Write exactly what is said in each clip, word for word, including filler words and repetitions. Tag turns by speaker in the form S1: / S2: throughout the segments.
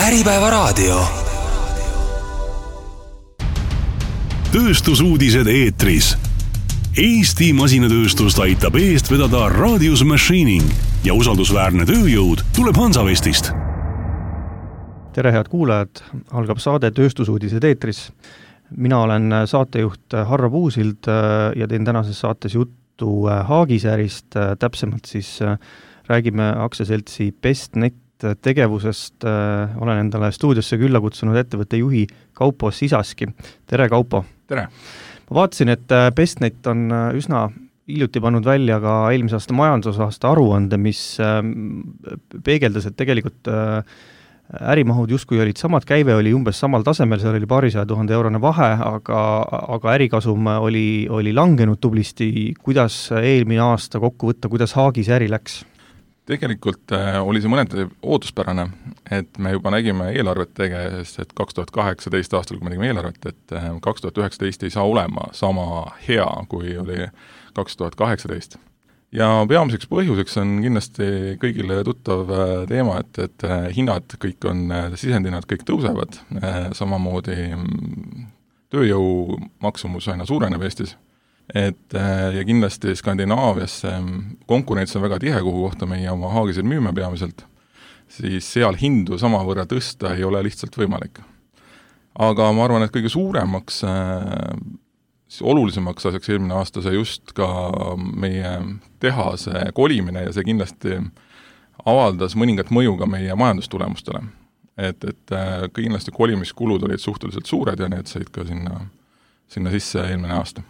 S1: Äripäevaraadio. Tööstusuudised eetris. Eesti masinatööstust aitab eest vedada Radius Machining ja usaldusväärne tööjõud tuleb Hansavestist.
S2: Tere head kuulajad, algab saade Tööstusuudised eetris. Mina olen saatejuht Harro Puusild ja teen tänases saates juttu Haagisäärist, täpsemalt siis räägime aktsiaseltsi Bestnet tegevusest. Olen endale stuudiosse külla kutsunud ettevõtte juhi Kaupo Sisaski. Tere Kaupo!
S3: Tere!
S2: Ma vaatasin, et Bestnet on üsna hiljuti pannud välja ka eelmise aasta majandusaasta aruande, mis peegeldas, et tegelikult ärimahud justkui olid samad, käive oli umbes samal tasemel, seal oli paarisaja tuhande eurone vahe, aga, aga ärikasum oli, oli langenud tublisti. Kuidas eelmine aasta kokku võtta, kuidas Haagis äri läks?
S3: Tegelikult äh, oli see mõneti ootuspärane, et me juba nägime eelarvet tegees, et kaks tuhat kaheksateist aastal, kui me nägime eelarvet, et äh, kaks tuhat üheksateist ei saa olema sama hea, kui oli kaks tuhat kaheksateist. Ja peamiseks põhjuseks on kindlasti kõigile tuttav äh, teema, et, et äh, hinnad kõik on, äh, sisendhinnad kõik tõusevad, äh, samamoodi mm, tööjõu maksumus aina suureneb Eestis. Et, ja kindlasti Skandinaavias konkurents on väga tihe, kuhu kohta meie oma Haagisel müüme peamiselt, siis seal hindu samavõrra tõsta ei ole lihtsalt võimalik. Aga ma arvan, et kõige suuremaks, olulisemaks asjaks eelmine aasta see just ka meie tehase kolimine ja see kindlasti avaldas mõningat mõju ka meie majandustulemustele. Et, et kindlasti kolimiskulud olid suhteliselt suured ja need said ka sinna, sinna sisse eelmine aasta.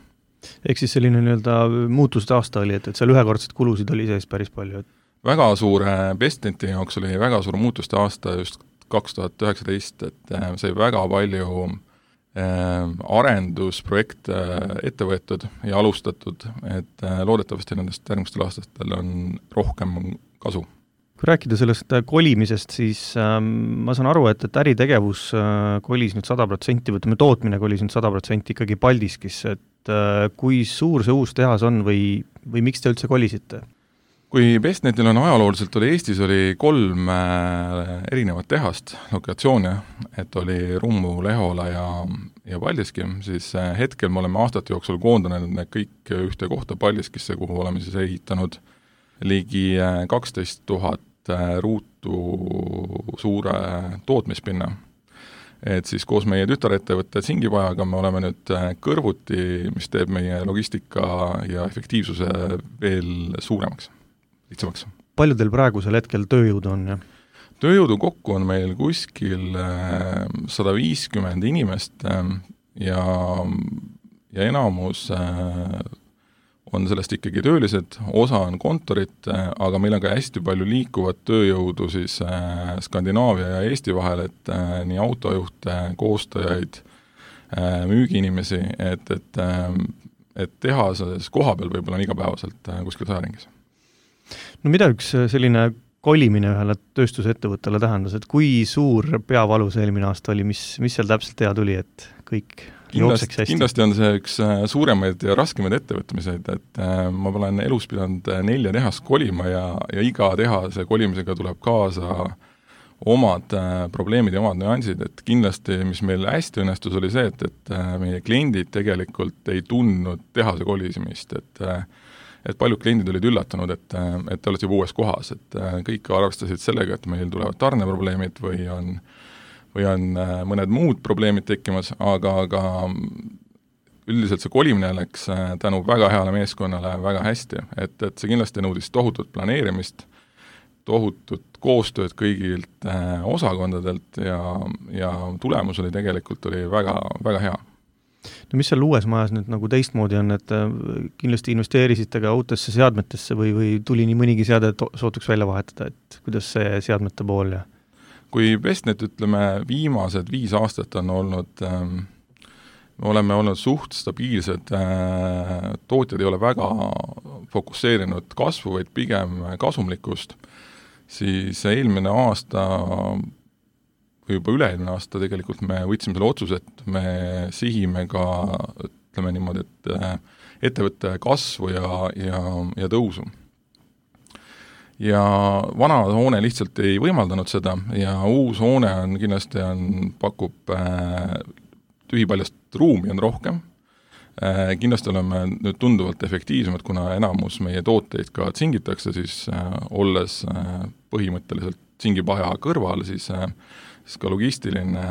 S2: Ehk siis selline nii-öelda muutuste aasta oli, et, et seal ühekordset kulusid oli sees päris palju? Et...
S3: Väga suur Bestneti jaoks oli väga suur muutuste aasta just kaks tuhat üheksateist, et sai väga palju äh, arendusprojekte ette võetud ja alustatud, et äh, loodetavasti nendest järgmistel aastatel on rohkem kasu.
S2: Kui rääkida sellest kolimisest, siis ähm, ma saan aru, et, et äritegevus äh, kolis nüüd sada protsenti, võtame tootmine kolis nüüd sada protsenti ikkagi Paldiskis, et äh, kui suur see uus tehas on või, või miks te üldse kolisite?
S3: Kui Bestnetil on ajalooliselt oli Eestis oli kolm äh, erinevat tehast, lokatsioone, et oli Rummu, Lehola ja, ja Paldiski, siis äh, hetkel me oleme aastate jooksul koondanud need kõik ühte kohta Paldiskisse, kuhu oleme siis ehitanud ligi kaksteist tuhat ruutu suure tootmispinna. Et siis koos meie tütarettevõtte Singipajaga me oleme nüüd kõrvuti, mis teeb meie logistika ja efektiivsuse veel suuremaks, lihtsamaks.
S2: Palju teil praegusel hetkel tööjõudu on? Ja?
S3: Tööjõudu kokku on meil kuskil sada viiskümmend inimest ja, ja enamus on sellest ikkagi töölised, osa on kontorit, aga meil on ka hästi palju liikuvat tööjõudu siis Skandinaavia ja Eesti vahel, et nii autojuhte, koostajaid, müügiinimesi, et, et, et tehases koha peal võib-olla on igapäevaselt kuskil sajaringis.
S2: No mida üks selline kolimine ühele tööstusettevõttele tähendas, et kui suur peavalus eelmine aasta oli, mis, mis seal täpselt hea tuli, et kõik
S3: kindlasti, kindlasti on see üks suuremaid ja raskemaid ettevõtmiseid, et ma olen elus pidanud nelja tehast kolima ja, ja iga tehase kolimisega tuleb kaasa omad probleemid ja omad nüansid, et kindlasti, mis meil hästi õnnestus, oli see, et, et meie kliendid tegelikult ei tundnud tehase kolisimist, et et paljud kliendid olid üllatunud, et, et te olete juba uues kohas, et kõik arvestasid sellega, et meil tulevad tarneprobleemid või on või on mõned muud probleemid tekkimas, aga, aga üldiselt see kolimine läks tänu väga heale meeskonnale väga hästi, et, et see kindlasti nõudis tohutut planeerimist, tohutut koostööd kõigilt osakondadelt ja, ja tulemus oli tegelikult oli väga, väga hea.
S2: No mis seal uues majas nüüd nagu teistmoodi on, et kindlasti investeerisite ka uutesse seadmetesse või, või tuli nii mõnigi seade, et sootuks välja vahetada, et kuidas see seadmete pool ja
S3: kui Bestnet, ütleme, viimased viis aastat on olnud, me oleme olnud suht stabiilsed, tootjad ei ole väga fokusseerinud kasvu, vaid pigem kasumlikkust, siis eelmine aasta või juba üle-eelmine aasta tegelikult me võtsime selle otsuse, et me sihime ka, ütleme niimoodi, et ettevõtte kasvu ja, ja, ja tõusu. ja vana hoone lihtsalt ei võimaldanud seda ja uus hoone on kindlasti on, pakub äh, tühipaljast ruumi on rohkem. Kindlasti oleme nüüd tunduvalt efektiivsemad, kuna enamus meie tooteid ka tsingitakse, siis äh, olles äh, põhimõtteliselt tsingipaja kõrval, siis, äh, siis ka logistiline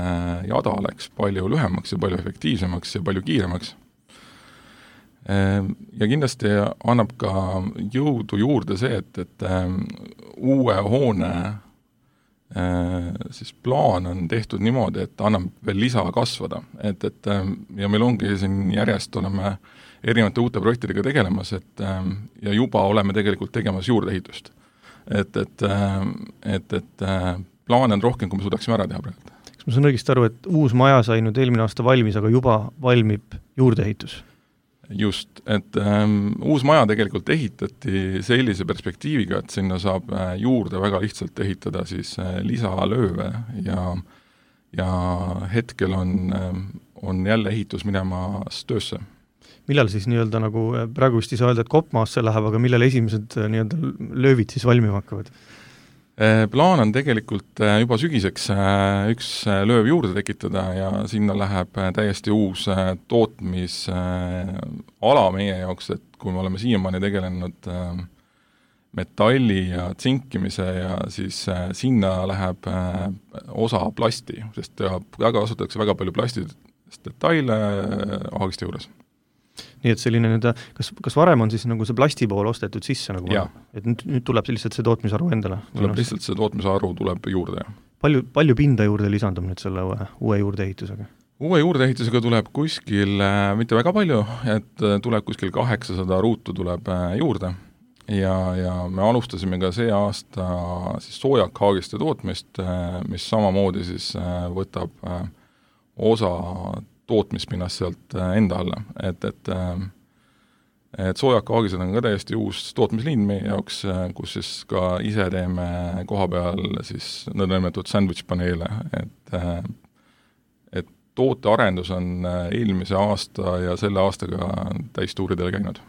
S3: jada läks palju lühemaks ja palju efektiivsemaks ja palju kiiremaks. Äh, ja kindlasti annab ka jõudu juurde see, et, et äh, uue hoone siis plaan on tehtud niimoodi, et annab veel lisa kasvada, et, et ja meil ongi siin järjest oleme erinevate uute projektidega tegelemas, et ja juba oleme tegelikult tegemas juurdeehitust. Et, et, et, et plaane on rohkem, kui me suudaksime ära teha praegu.
S2: Kas ma saan õigesti aru, et uus maja sai nüüd eelmine aasta valmis, aga juba valmib juurdeehitus?
S3: Just, et ähm, uus maja tegelikult ehitati sellise perspektiiviga, et sinna saab äh, juurde väga lihtsalt ehitada siis äh, lisalööve ja, ja hetkel on, äh, on jälle ehitus minemas töösse.
S2: Millal siis nii-öelda nagu, praegu vist ei saa öelda, et kopmaasse läheb, aga millal esimesed nii-öelda löövid siis valmima hakkavad?
S3: Plaan on tegelikult juba sügiseks üks lööv juurde tekitada ja sinna läheb täiesti uus tootmisala meie jaoks, et kui me oleme siiamaani tegelenud metalli ja tsinkimise ja siis sinna läheb osa plasti, sest väga kasutatakse väga palju plastidest detaile ahagiste juures.
S2: Nii et selline nüüd, kas, kas varem on siis nagu see plasti pool ostetud sisse, nagu ma, et nüüd, nüüd tuleb lihtsalt see tootmisaru endale?
S3: Tuleb lihtsalt see tootmisaru tuleb juurde.
S2: Palju, palju pinda juurde lisandub nüüd selle uue, uue juurdeehitusega?
S3: Uue juurdeehitusega tuleb kuskil, mitte väga palju, et tuleb kuskil kaheksasada ruutu tuleb juurde ja, ja me alustasime ka see aasta siis soojakhaagiste tootmist, mis samamoodi siis võtab osa tootmispinnast sealt enda alla, et, et, et soojakaagised on ka täiesti uus tootmisliin meie jaoks, kus siis ka ise teeme koha peal siis nõndanimetatud sandwich-paneele, et, et tootearendus on eelmise aasta ja selle aastaga täistuuridele käinud.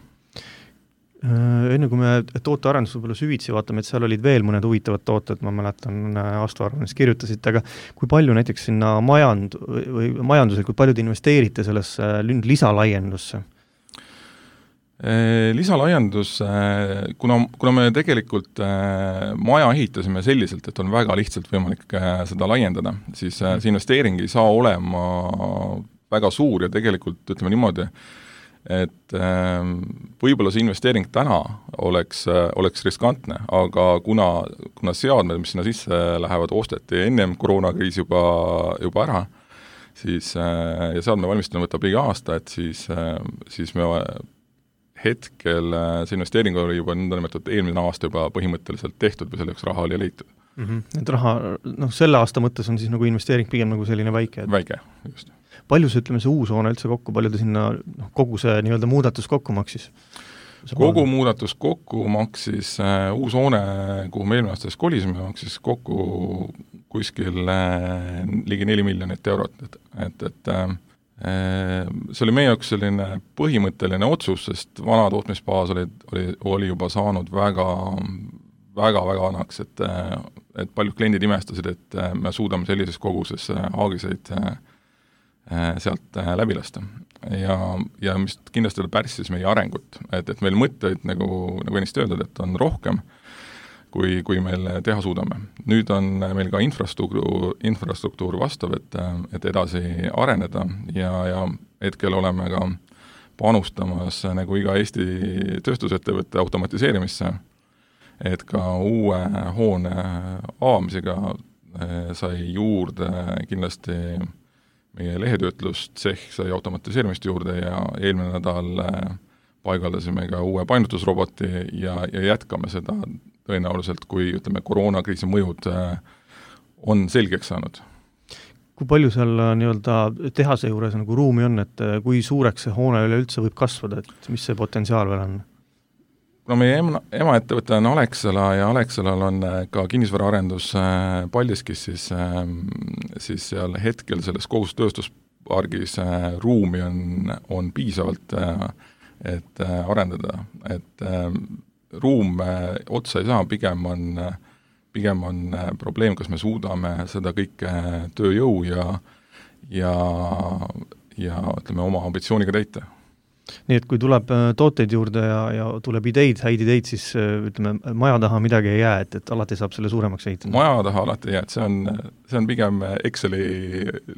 S2: Enne kui me tootearendus võib-olla süvitsi vaatame, et seal olid veel mõned huvitavad tooted, ma mäletan aastaarvanes kirjutasite, aga kui palju näiteks sinna majand, või majandusel, kui palju te investeerite sellesse lisalaiendusse?
S3: Lisalaiendus, kuna, kuna me tegelikult maja ehitasime selliselt, et on väga lihtsalt võimalik seda laiendada, siis see investeering ei saa olema väga suur ja tegelikult ütleme niimoodi, et äh, võib-olla see investeering täna oleks, äh, oleks riskantne, aga kuna, kuna seadmed, mis sinna sisse lähevad, osteti ennem koroonakriis juba, juba ära, siis äh, ja seadme valmistamine võtab liiga aasta, et siis, äh, siis me hetkel äh, see investeering oli juba nõndanimetatud eelmine aasta juba põhimõtteliselt tehtud või selleks raha oli leitud.
S2: Mm-hmm. Et raha, noh, selle aasta mõttes on siis nagu investeering pigem nagu selline väike? Et...
S3: Väike, just.
S2: Palju see, ütleme, see uus hoone üldse kokku, palju ta sinna noh, kogu see nii-öelda muudatus kokku maksis?
S3: Kogu muudatus kokku maksis äh, uus hoone, kuhu me eelmine aastas kolisime, maksis kokku kuskil äh, ligi neli miljonit eurot, et, et, et äh, see oli meie jaoks selline põhimõtteline otsus, sest vana tootmisbaas oli, oli, oli juba saanud väga väga, väga vanaks, et, et paljud kliendid imestasid, et me suudame sellises koguses haagiseid sealt läbi lasta. Ja, ja mis kindlasti pärsis meie arengut, et, et meil mõtteid, nagu, nagu ennist öeldud, et on rohkem, kui, kui meil teha suudame. Nüüd on meil ka infrastruktuur, infrastruktuur vastav, et, et edasi areneda ja, ja hetkel oleme ka panustamas nagu iga Eesti tööstusettevõtte automatiseerimisse, et ka uue hoone avamisega sai juurde kindlasti meie lehetöötlustsehh sai automatiseerimist juurde ja eelmine nädal paigaldasime ka uue painutusroboti ja, ja jätkame seda tõenäoliselt, kui ütleme, koroonakriisi mõjud on selgeks saanud.
S2: Kui palju seal nii-öelda tehase juures nagu ruumi on, et kui suureks see hoone üleüldse võib kasvada, et mis see potentsiaal veel on?
S3: Kuna meie ema, emaettevõte on Alexela ja Alexelal on ka kinnisvaraarendus Paldiskis, siis, siis seal hetkel selles kogus tööstuspargis ruumi on, on piisavalt, et arendada. Et ruum otsa ei saa, pigem on, pigem on probleem, kas me suudame seda kõike tööjõu ja, ja, ja ütleme, oma ambitsiooniga täita.
S2: Nii et kui tuleb tooteid juurde ja, ja tuleb ideid, häid ideid, siis ütleme, maja taha midagi ei jää, et, et alati saab selle suuremaks ehitada.
S3: Maja taha alati ei jää, et see on, see on pigem Exceli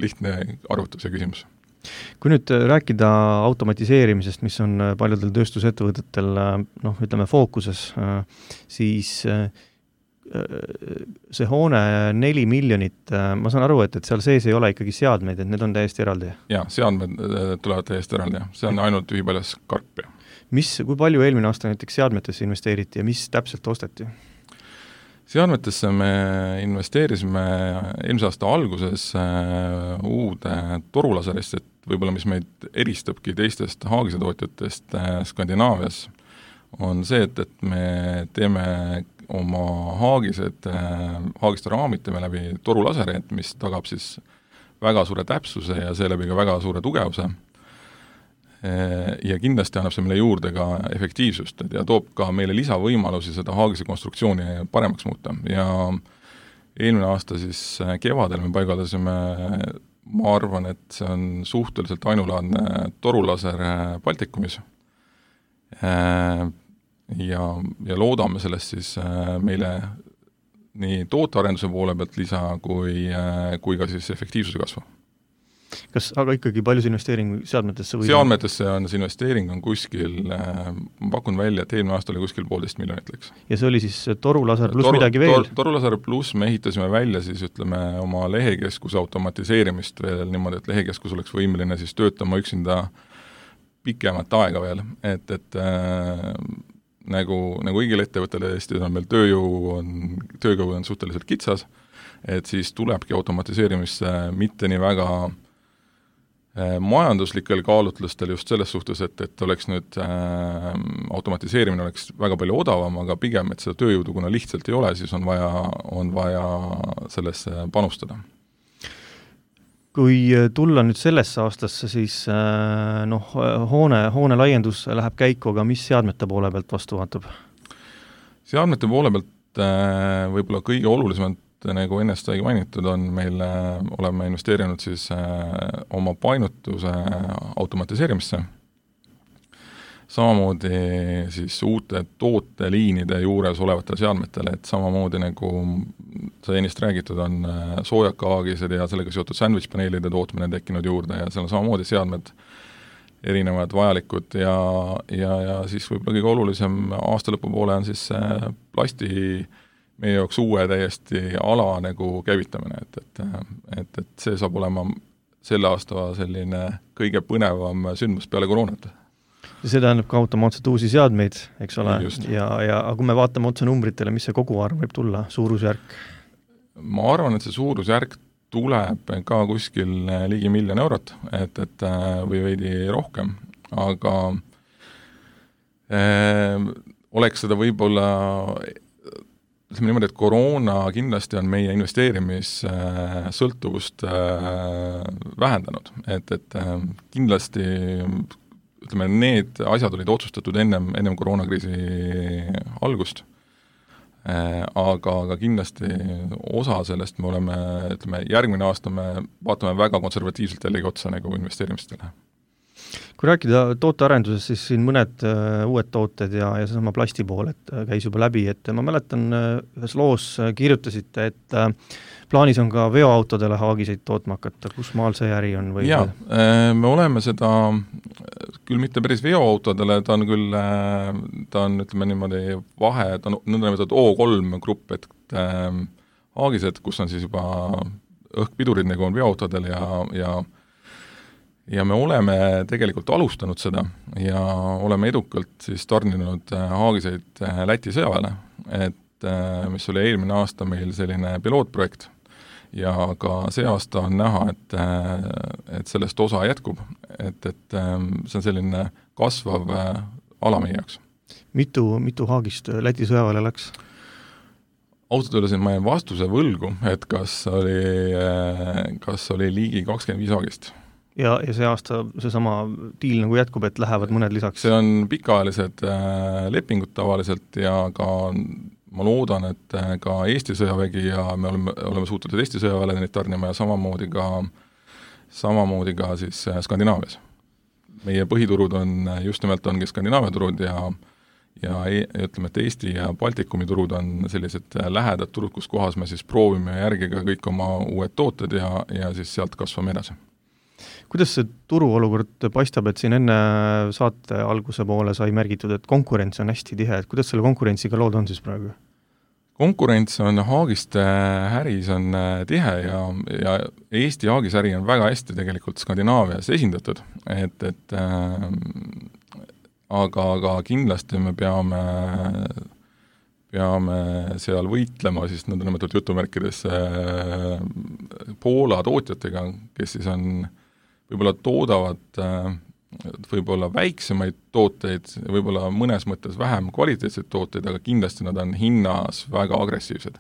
S3: lihtne arvutuse küsimus.
S2: Kui nüüd rääkida automatiseerimisest, mis on paljudel tööstusettevõtetel noh, ütleme fookuses, siis see hoone neli miljonit, ma saan aru, et, et seal sees ei ole ikkagi seadmeid, et need on täiesti eraldi.
S3: Jaa, seadmed tulevad täiesti eraldi, see on ainult ühipaljas karp.
S2: Mis, kui palju eelmine aasta näiteks seadmetesse investeeriti ja mis täpselt osteti?
S3: Seadmetesse me investeerisime eelmise aasta alguses uude torulaserist, et võib-olla mis meid eristabki teistest haagise tootjatest Skandinaavias, on see, et, et me teeme oma haagised, haagiste raamid teeme läbi torulaseri, mis tagab siis väga suure täpsuse ja seeläbi ka väga suure tugevuse. Ja kindlasti annab see meile juurde ka efektiivsust ja toob ka meile lisavõimalusi seda haagise konstruktsiooni paremaks muuta. Ja eelmine aasta siis kevadel me paigaldasime, ma arvan, et see on suhteliselt ainulaadne torulaser Baltikumis. Ja, ja loodame sellest siis meile nii tootearenduse poole pealt lisa kui, kui ka siis efektiivsuse kasvu.
S2: Kas aga ikkagi palju see investeering seadmetesse või?
S3: Seadmetesse on see investeering on kuskil, ma pakun välja, et eelmine aasta oli kuskil poolteist miljonit läks.
S2: Ja see oli siis torulaser pluss Toru, midagi veel? Tor,
S3: torulaser pluss me ehitasime välja siis ütleme oma lehekeskuse automatiseerimist veel niimoodi, et lehekeskus oleks võimeline siis töötama üksinda pikemat aega veel, et, et äh, nagu, nagu kõigil ettevõttele Eestis on meil tööjõu on, tööjõu on suhteliselt kitsas, et siis tulebki automatiseerimisse mitte nii väga äh, majanduslikel kaalutlustel just selles suhtes, et, et oleks nüüd äh, automatiseerimine oleks väga palju odavam, aga pigem, et seda tööjõudu, kuna lihtsalt ei ole, siis on vaja, on vaja sellesse panustada.
S2: Kui tulla nüüd sellesse aastasse, siis noh, hoone, hoone laiendus läheb käiku, aga mis seadmete poole pealt vastu vaatab?
S3: Seadmete poole pealt võib-olla kõige olulisemalt, nagu ennest aigi mainitud, on meil, oleme investeerinud siis oma painutuse automatiseerimisse. Samamoodi siis uute tooteliinide juures olevatele seadmetele, et samamoodi nagu sa ennist räägitud, on soojakahaagised ja sellega seotud sandwich-paneelide tootmine tekkinud juurde ja seal on samamoodi seadmed erinevad vajalikud ja, ja, ja siis võib-olla kõige olulisem aasta lõpu poole on siis plasti meie jaoks uue täiesti ala nagu käivitamine, et, et, et, et see saab olema selle aasta selline kõige põnevam sündmus peale koroonat.
S2: See tähendab ka automaatselt uusi seadmeid, eks ole, ja, ja kui me vaatame otse numbritele, mis see koguarv võib tulla, suurusjärk?
S3: Ma arvan, et see suurusjärk tuleb ka kuskil ligi miljon eurot, et, et või veidi rohkem, aga äh, oleks seda võib-olla, ütleme niimoodi, et koroona kindlasti on meie investeerimissõltuvust äh, vähendanud, et, et äh, kindlasti ütleme, need asjad olid otsustatud ennem, ennem koroonakriisi algust, aga, aga kindlasti osa sellest me oleme, ütleme, järgmine aasta me vaatame väga konservatiivselt jällegi otsa nagu investeerimistele.
S2: Kui rääkida tootearenduses, siis siin mõned uh, uued tooted ja, ja seesama plasti pool, et uh, käis juba läbi, et ma mäletan, uh, ühes loos uh, kirjutasite, et uh, plaanis on ka veoautodele haagiseid tootma hakata, kus maal see äri on? Või
S3: jaa, me oleme seda, küll mitte päris veoautodele, ta on küll, ta on, ütleme niimoodi, vahe, ta on nõndanimetatud O kolm grupp, et äh, haagised, kus on siis juba õhkpidurid, nagu on veoautodel ja, ja ja me oleme tegelikult alustanud seda ja oleme edukalt siis tarninud haagiseid Läti sõjaväele, et mis oli eelmine aasta meil selline pilootprojekt ja ka see aasta on näha, et, et sellest osa jätkub, et, et see on selline kasvav ala meie jaoks.
S2: Mitu, mitu haagist Läti sõjaväele läks?
S3: Ausalt öeldes ma jäin vastuse võlgu, et kas oli, kas oli ligi kakskümmend viis haagist.
S2: ja, ja see aasta seesama diil nagu jätkub, et lähevad mõned lisaks?
S3: See on pikaajalised äh, lepingud tavaliselt ja ka ma loodan, et ka Eesti sõjavägi ja me oleme, oleme suutelised Eesti sõjaväele neid tarnima ja samamoodi ka, samamoodi ka siis Skandinaavias. Meie põhiturud on, just nimelt ongi Skandinaavia turud ja ja ütleme, et Eesti ja Baltikumi turud on sellised lähedad turud, kus kohas me siis proovime järgiga kõik oma uued tooted ja, ja siis sealt kasvame edasi.
S2: Kuidas see turuolukord paistab, et siin enne saate alguse poole sai märgitud, et konkurents on hästi tihe, et kuidas selle konkurentsiga lood on siis praegu?
S3: Konkurents on Haagiste äris on tihe ja, ja Eesti Haagis äri on väga hästi tegelikult Skandinaavias esindatud, et, et äh, aga, aga kindlasti me peame, peame seal võitlema siis nõndanimetatud jutumärkides äh, Poola tootjatega, kes siis on, võib-olla toodavad äh, võib-olla väiksemaid tooteid, võib-olla mõnes mõttes vähem kvaliteetseid tooteid, aga kindlasti nad on hinnas väga agressiivsed.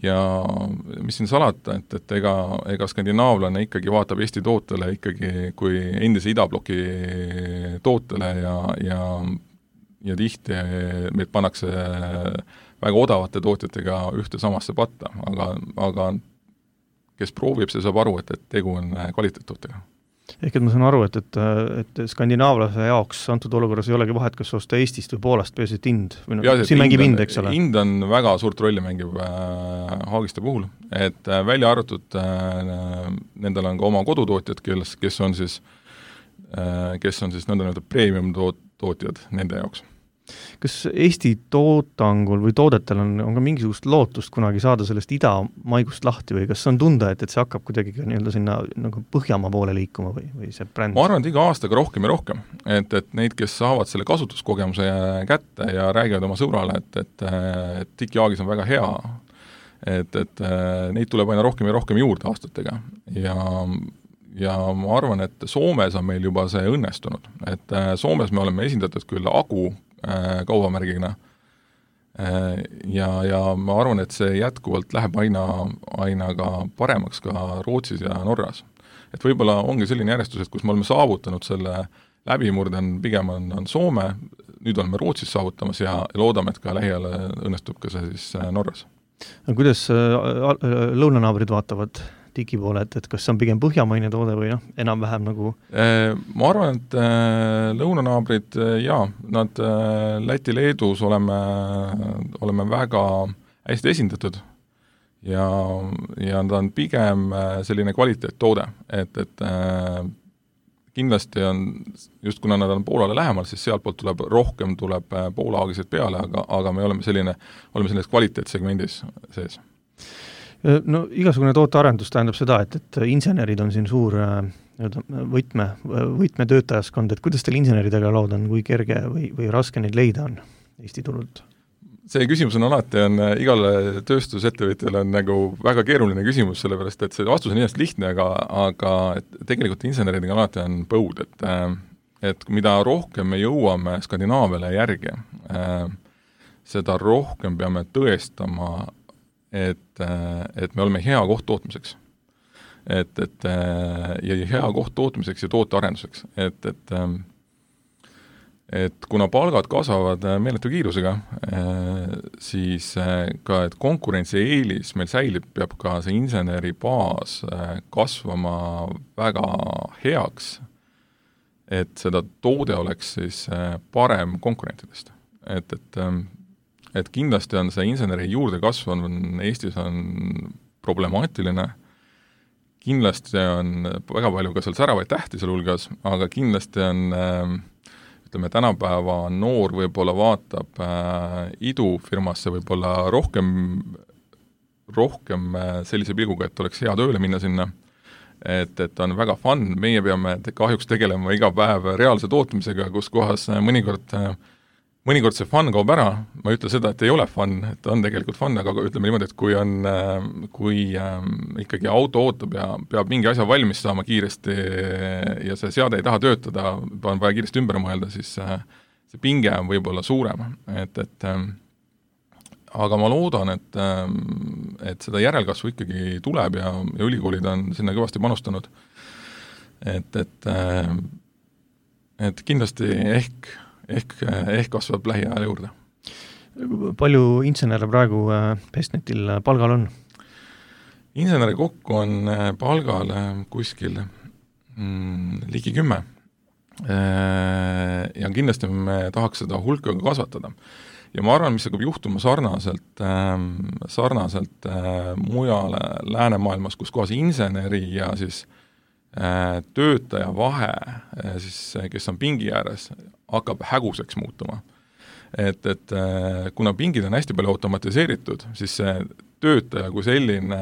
S3: Ja mis siin salata, et, et ega, ega skandinaavlane ikkagi vaatab Eesti tootele ikkagi kui endise idabloki tootele ja, ja, ja tihti meid pannakse väga odavate tootjatega ühte samasse patta, aga, aga kes proovib, see saab aru, et, et tegu on kvaliteettootega.
S2: Ehk et ma saan aru, et, et, et skandinaavlase jaoks antud olukorras ei olegi vahet, kas osta Eestist või Poolast, peasid hind, või no, siin mängib hind, eks ole?
S3: Hind on väga suurt rolli mängib äh, Haagiste puhul, et äh, välja arvatud äh, nendel on ka oma kodutootjad, kes, kes on siis äh, kes on siis nõnda premium toot, tootjad nende jaoks.
S2: Kas Eesti tootangul või toodetel on, on ka mingisugust lootust kunagi saada sellest idamaigust lahti või kas on tunda, et, et see hakkab kuidagi nii-öelda sinna nagu Põhjamaa poole liikuma või, või see bränd?
S3: Ma arvan, et iga aastaga rohkem ja rohkem, et, et neid, kes saavad selle kasutuskogemuse kätte ja räägivad oma sõbrale, et, et, et Tiki-Haagis on väga hea, et, et neid tuleb aina rohkem ja rohkem juurde aastatega ja ja ma arvan, et Soomes on meil juba see õnnestunud, et Soomes me oleme esindatud küll Agu kaubamärgina ja, ja ma arvan, et see jätkuvalt läheb aina, aina ka paremaks ka Rootsis ja Norras. Et võib-olla ongi selline järjestus, et kus me oleme saavutanud selle läbimurde on pigem on, on Soome, nüüd oleme Rootsis saavutamas ja loodame, et ka lähiajal õnnestub ka see siis Norras.
S2: Kuidas lõunanaabrid vaatavad Tiki poole, et, et kas see on pigem põhjamaine toode või noh, enam-vähem nagu?
S3: Ma arvan, et lõunanaabrid, jaa, nad Läti-Leedus oleme, oleme väga hästi esindatud ja, ja nad on pigem selline kvaliteettoode, et, et kindlasti on, just kuna nad on Poolale lähemal, siis sealtpoolt tuleb rohkem, tuleb Poola-aagiseid peale, aga, aga me oleme selline, oleme selles kvaliteetsegmendis sees.
S2: No igasugune tootearendus tähendab seda, et, et insenerid on siin suur võtme, võtmetöötajaskond, et kuidas teil inseneridega lood on, kui kerge või, või raske neid leida on Eesti turult?
S3: See küsimus on alati, on igale tööstusettevõtjale on nagu väga keeruline küsimus, sellepärast et see vastus on ennast lihtne, aga, aga et tegelikult inseneridega alati on põud, et, et mida rohkem me jõuame Skandinaaviale järgi, seda rohkem peame tõestama et, et me oleme hea koht tootmiseks. Et, et, ja hea koht tootmiseks ja tootearenduseks. Et, et, et kuna palgad kasvavad meeletu kiirusega, siis ka, et konkurentsi eelis meil säilib, peab ka see inseneri baas kasvama väga heaks, et seda toode oleks siis parem konkurentidest. Et, et et kindlasti on see inseneri juurdekasv on Eestis on problemaatiline, kindlasti on väga palju ka seal säravaid tähti seal hulgas, aga kindlasti on, ütleme, tänapäeva noor võib-olla vaatab äh, idufirmasse võib-olla rohkem, rohkem sellise pilguga, et oleks hea tööle minna sinna, et, et on väga fun, meie peame kahjuks tegelema iga päev reaalse tootmisega, kus kohas mõnikord mõnikord see fun kaob ära, ma ei ütle seda, et ei ole fun, et on tegelikult fun, aga ütleme niimoodi, et kui on, kui äh, ikkagi auto ootab ja peab mingi asja valmis saama kiiresti ja see seade ei taha töötada, on vaja kiiresti ümber mõelda, siis äh, see pinge on võib-olla suurem, et, et äh, aga ma loodan, et, äh, et seda järelkasvu ikkagi tuleb ja, ja ülikoolid on sinna kõvasti panustanud. et, et, et kindlasti ehk, ehk, ehk kasvab lähiajal juurde.
S2: Palju insenere praegu Bestnetil palgal on?
S3: Inseneri kokku on palgal kuskil mm, ligi kümme. Ja kindlasti me tahaks seda hulka kasvatada. Ja ma arvan, mis hakkab juhtuma sarnaselt, sarnaselt mujale läänemaailmas, kus kohas inseneri ja siis töötaja vahe, siis, kes on pingi ääres, hakkab häguseks muutuma. Et, et kuna pingid on hästi palju automatiseeritud, siis see töötaja kui selline,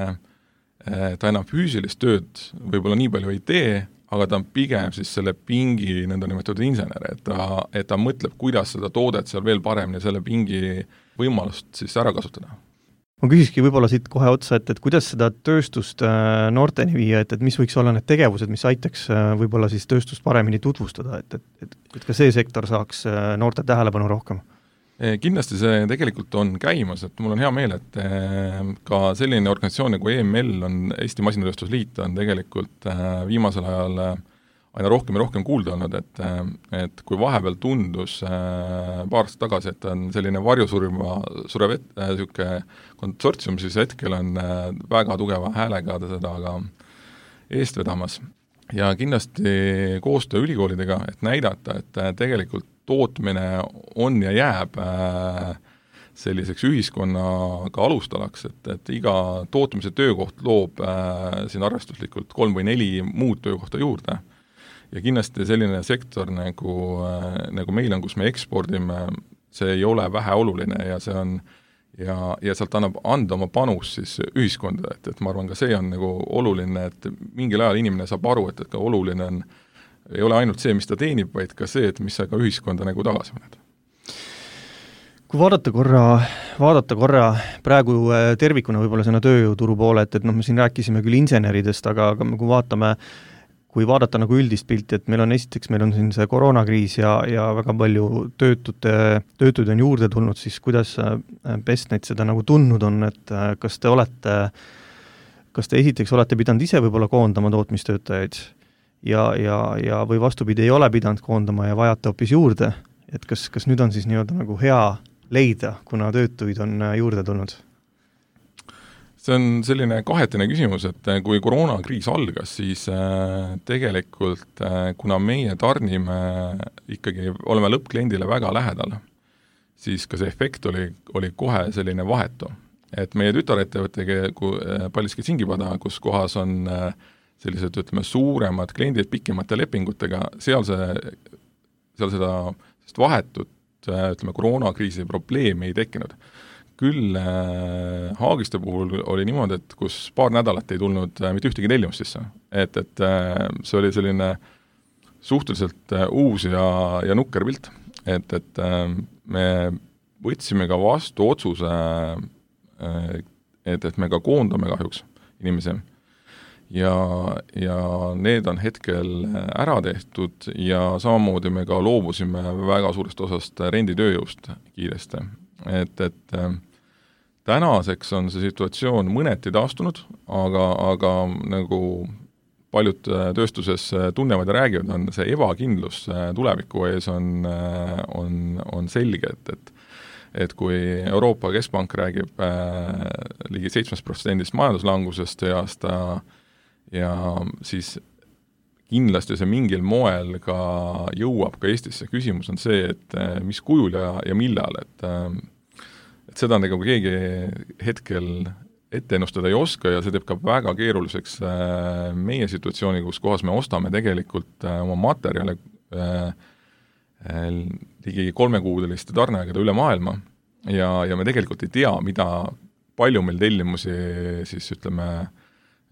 S3: ta enam füüsilist tööd võib-olla nii palju ei tee, aga ta on pigem siis selle pingi nõnda nimetatud insener, et ta, et ta mõtleb, kuidas seda toodet seal veel paremini selle pingi võimalust siis ära kasutada.
S2: Ma küsiski võib-olla siit kohe otsa, et, et kuidas seda tööstust noorteni viia, et, et mis võiks olla need tegevused, mis aitaks võib-olla siis tööstust paremini tutvustada, et, et, et ka see sektor saaks noorte tähelepanu rohkem?
S3: Kindlasti see tegelikult on käimas, et mul on hea meel, et ka selline organisatsioon nagu E M L on, Eesti Masinatööstusliit on tegelikult viimasel ajal aina rohkem ja rohkem kuulda olnud, et, et kui vahepeal tundus paar aastat tagasi, et on selline varjusurma surev et, konsortsium, siis hetkel on väga tugeva häälega seda ka eest vedamas. Ja kindlasti koostöö ülikoolidega, et näidata, et tegelikult tootmine on ja jääb selliseks ühiskonnaga alustalaks, et, et iga tootmise töökoht loob siin arvestuslikult kolm või neli muud töökohta juurde. Ja kindlasti selline sektor nagu, nagu meil on, kus me ekspordime, see ei ole vähe oluline ja see on ja, ja sealt annab anda oma panus siis ühiskonda, et, et ma arvan, ka see on nagu oluline, et mingil ajal inimene saab aru, et, et ka oluline on ei ole ainult see, mis ta teenib, vaid ka see, et mis sa ka ühiskonda nagu tagasi mõned.
S2: Kui vaadata korra, vaadata korra praegu tervikuna võib-olla sinna tööjõuturu poole, et, et noh, me siin rääkisime küll inseneridest, aga, aga kui vaatame, kui vaadata nagu üldist pilti, et meil on esiteks, meil on siin see koroonakriis ja, ja väga palju töötute, töötuid on juurde tulnud, siis kuidas Bestnet seda nagu tundnud on, et kas te olete, kas te esiteks olete pidanud ise võib-olla koondama tootmistöötajaid ja, ja, ja või vastupidi ei ole pidanud koondama ja vajate hoopis juurde, et kas, kas nüüd on siis nii-öelda nagu hea leida, kuna töötuid on juurde tulnud?
S3: See on selline kahetine küsimus, et kui koroonakriis algas, siis tegelikult kuna meie tarnime ikkagi, oleme lõppkliendile väga lähedal, siis ka see efekt oli, oli kohe selline vahetu. Et meie tütarettevõttega Paldiski Singipada, kus kohas on sellised, ütleme, suuremad kliendid pikemate lepingutega, seal, see, seal seda vahetut, ütleme, koroonakriisi probleemi ei tekkinud. Küll äh, Haagiste puhul oli niimoodi, et kus paar nädalat ei tulnud äh, mitte ühtegi tellimust sisse. Et, et äh, see oli selline suhteliselt äh, uus ja, ja nukker pilt. Et, et äh, me võtsime ka vastu otsuse, äh, et, et me ka koondame kahjuks inimesi. Ja, ja need on hetkel ära tehtud ja samamoodi me ka loobusime väga suurest osast renditööjõust kiiresti. Et, et tänaseks on see situatsioon mõneti taastunud, aga, aga nagu paljud tööstuses tunnevad ja räägivad, on see ebakindlus tuleviku ees on, on, on selge, et, et et kui Euroopa Keskpank räägib äh, ligi seitsmest protsendist majanduslangusest ja aasta ja siis kindlasti see mingil moel ka jõuab ka Eestisse. Küsimus on see, et mis kujul ja, ja millal, et, et seda nagu keegi hetkel ette ennustada ei oska ja see teeb ka väga keeruliseks meie situatsiooni, kus kohas me ostame tegelikult oma materjale ligi kolmekuudeliste tarneaegade üle maailma ja, ja me tegelikult ei tea, mida palju meil tellimusi siis ütleme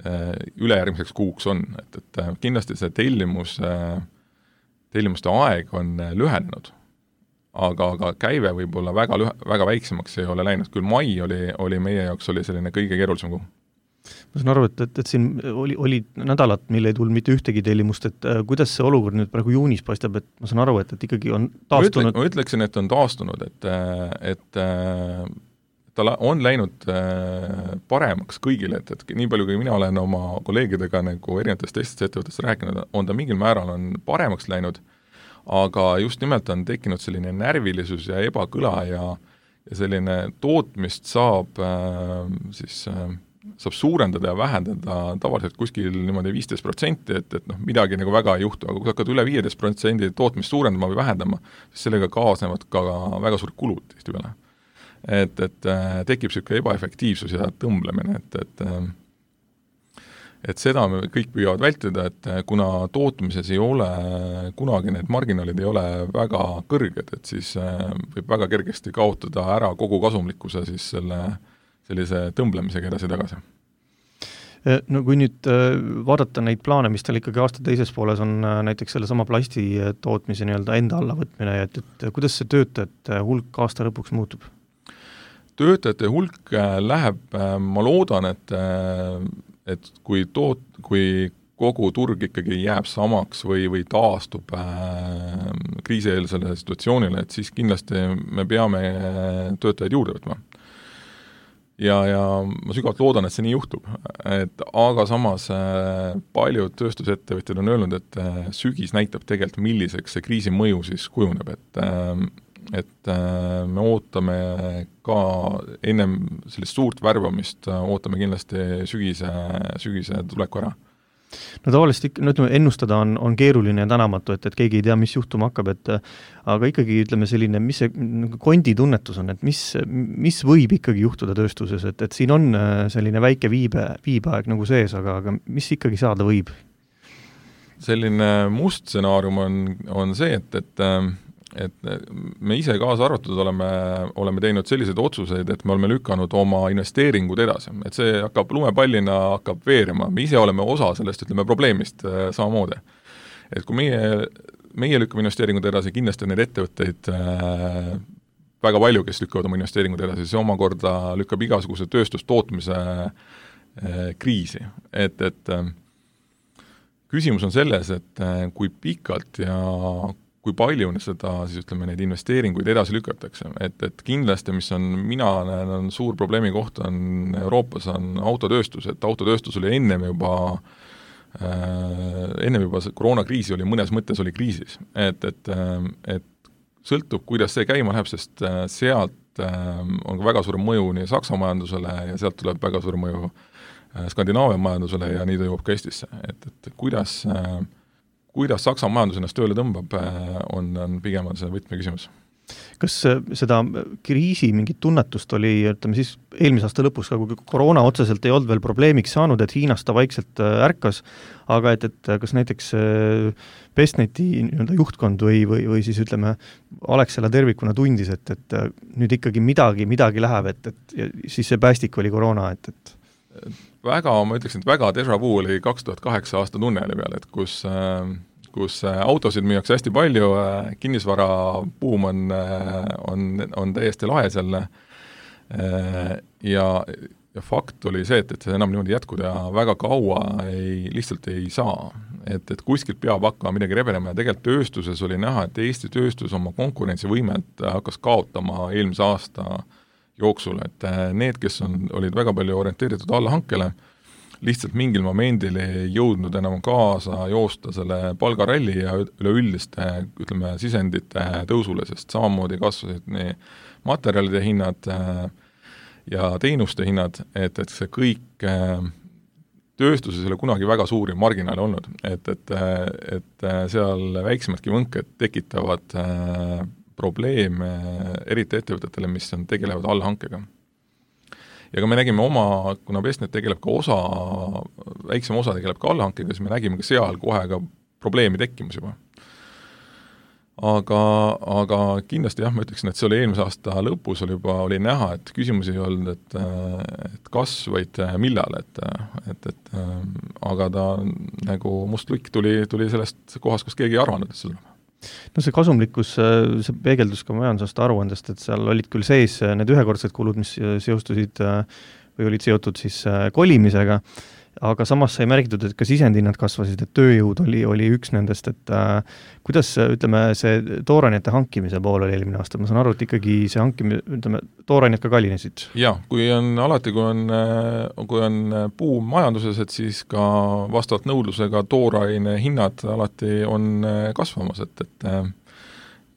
S3: ülejärgmiseks kuuks on, et, et kindlasti see tellimus, tellimuste aeg on lühenenud, aga, aga käive võib olla väga, lühe, väga väiksemaks ei ole läinud, küll mai oli, oli meie jaoks oli selline kõige keerulisem kuu.
S2: Ma saan aru, et, et, et siin oli, oli nädalat, mille ei tulnud mitte ühtegi tellimust, et äh, kuidas see olukord nüüd praegu juunis paistab, et ma saan aru, et, et ikkagi on taastunud?
S3: Ma, ütle, ma ütleksin, et on taastunud, et, et ta on läinud paremaks kõigile, et, et nii palju, kui mina olen oma kolleegidega nagu erinevatest teistest ettevõttest rääkinud, on ta mingil määral on paremaks läinud, aga just nimelt on tekkinud selline närvilisus ja ebakõla ja, ja selline tootmist saab äh, siis äh, saab suurendada ja vähendada tavaliselt kuskil niimoodi viisteist protsenti, et, et noh, midagi nagu väga ei juhtu, aga kui hakkad üle viieteist protsendi tootmist suurendama või vähendama, siis sellega kaasnevad ka väga suured kulud tihti peale. Et, et äh, tekib niisugune ebaefektiivsus ja tõmblemine, et, et äh, et seda me kõik püüavad vältida, et kuna tootmises ei ole, kunagi need marginaalid ei ole väga kõrged, et siis äh, võib väga kergesti kaotada ära kogu kasumlikkuse siis selle sellise tõmblemisega edasi-tagasi.
S2: No kui nüüd vaadata neid plaane, mis teil ikkagi aasta teises pooles on näiteks selle sama plasti tootmise nii-öelda enda alla võtmine, et, et kuidas see töötajate hulk aasta lõpuks muutub?
S3: Töötajate hulk läheb, ma loodan, et, et kui, toot, kui kogu turg ikkagi jääb samaks või, või taastub äh, kriisieelsele situatsioonile, et siis kindlasti me peame töötajaid juurde võtma. Ja, ja ma sügavalt loodan, et see nii juhtub, et aga samas äh, paljud tööstusettevõtjad on öelnud, et äh, sügis näitab tegelikult, milliseks see kriisi mõju siis kujuneb, et, äh, et äh, me ootame ka ennem sellist suurt värbamist, ootame kindlasti sügise, sügise tuleku ära.
S2: No tavaliselt ikka, no ütleme, ennustada on, on keeruline ja tänamatu, et, et keegi ei tea, mis juhtuma hakkab, et aga ikkagi ütleme selline, mis see kondi tunnetus on, et mis, mis võib ikkagi juhtuda tööstuses, et, et siin on selline väike viibe, viibeaeg nagu sees, aga, aga mis ikkagi saada võib?
S3: Selline must stsenaarium on, on see, et, et et me ise kaasa arvatud oleme, oleme teinud selliseid otsuseid, et me oleme lükanud oma investeeringud edasi, et see hakkab lumepallina, hakkab veerema, me ise oleme osa sellest, ütleme, probleemist äh, samamoodi. Et kui meie, meie lükkame investeeringud edasi, kindlasti need ettevõtteid äh, väga palju, kes lükkavad oma investeeringud edasi, see omakorda lükkab igasuguse tööstustootmise äh, kriisi, et, et äh, küsimus on selles, et äh, kui pikalt ja kui palju seda, siis ütleme, neid investeeringuid edasi lükatakse, et, et kindlasti, mis on, mina näen, on suur probleemi koht, on Euroopas on autotööstus, et autotööstus oli ennem juba äh, ennem juba koroonakriisi oli, mõnes mõttes oli kriisis, et, et, et sõltub, kuidas see käima läheb, sest sealt äh, on väga suur mõju nii Saksa majandusele ja sealt tuleb väga suur mõju äh, Skandinaavia majandusele ja nii ta jõuab ka Eestisse, et, et kuidas äh, kuidas Saksa majandus ennast tööle tõmbab, on, on pigem on see võtmeküsimus.
S2: Kas seda kriisi mingit tunnetust oli, ütleme siis eelmise aasta lõpus, kui koroona otseselt ei olnud veel probleemiks saanud, et Hiinas ta vaikselt ärkas, aga et, et kas näiteks Bestneti nii-öelda juhtkond või, või, või siis ütleme, Alexela tervikuna tundis, et, et nüüd ikkagi midagi, midagi läheb, et, et ja siis see päästik oli koroona, et, et
S3: väga, ma ütleksin, et väga déjà vu oli kaks tuhat kaheksa aasta tunneli peal, et kus, kus autosid müüakse hästi palju, kinnisvara buum on, on, on täiesti lahe seal ja, ja fakt oli see, et, et see enam niimoodi jätkuda ja väga kaua ei, lihtsalt ei saa. Et, et kuskilt peab hakkama midagi rebenema ja tegelikult tööstuses oli näha, et Eesti tööstus oma konkurentsivõimet hakkas kaotama eelmise aasta jooksul, et need, kes on, olid väga palju orienteeritud allahankele, lihtsalt mingil momendil ei jõudnud enam kaasa joosta selle palgaralli ja üleüldiste, ütleme, sisendite tõusule, sest samamoodi kasvasid nii materjalide hinnad ja teenuste hinnad, et, et see kõik tööstuses ei ole kunagi väga suuri marginaale olnud, et, et, et seal väiksemadki võnked tekitavad probleeme eriti ettevõtetele, mis on, tegelevad allhankega. Ja kui me nägime oma, kuna Bestnet tegeleb ka osa, väiksem osa tegeleb ka allhankega, siis me nägime ka seal kohe ka probleemi tekkimus juba. Aga, aga kindlasti jah, ma ütleksin, et see oli eelmise aasta lõpus oli juba oli näha, et küsimus ei olnud, et, et kas, vaid millal, et, et, et aga ta nagu must lükk tuli, tuli sellest kohast, kus keegi ei arvanud, et see tuleb.
S2: No see kasumlikkus, see peegeldus ka majandusaasta aruandest, et seal olid küll sees need ühekordsed kulud, mis seostusid või olid seotud siis kolimisega, aga samas sai märgitud, et ka sisendhinnad kasvasid, et tööjõud oli, oli üks nendest, et äh, kuidas, ütleme, see toorainete hankimise pool oli eelmine aasta, ma saan aru, et ikkagi see hankimine, ütleme, toorainet ka kallinesid?
S3: Jah, kui on alati, kui on, kui on buum majanduses, et siis ka vastavalt nõudlusega tooraine hinnad alati on kasvamas, et, et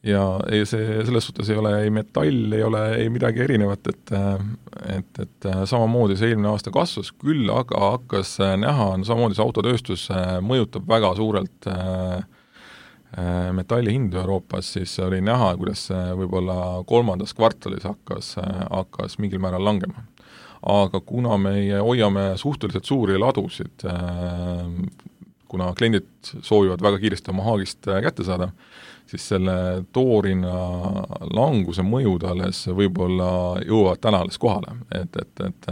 S3: ja ei, see selles suhtes ei ole ei metall, ei ole ei midagi erinevat, et, et, et samamoodi see eelmine aasta kasvas, küll aga hakkas näha, no samamoodi see autotööstus mõjutab väga suurelt metalli hindu Euroopas, siis oli näha, kuidas võib-olla kolmandas kvartalis hakkas, hakkas mingil määral langema. Aga kuna me hoiame suhteliselt suuri ladusid, kuna kliendid soovivad väga kiiresti oma haagist kätte saada, siis selle toorina languse mõjud alles võib-olla jõuavad täna alles kohale. Et, et, et,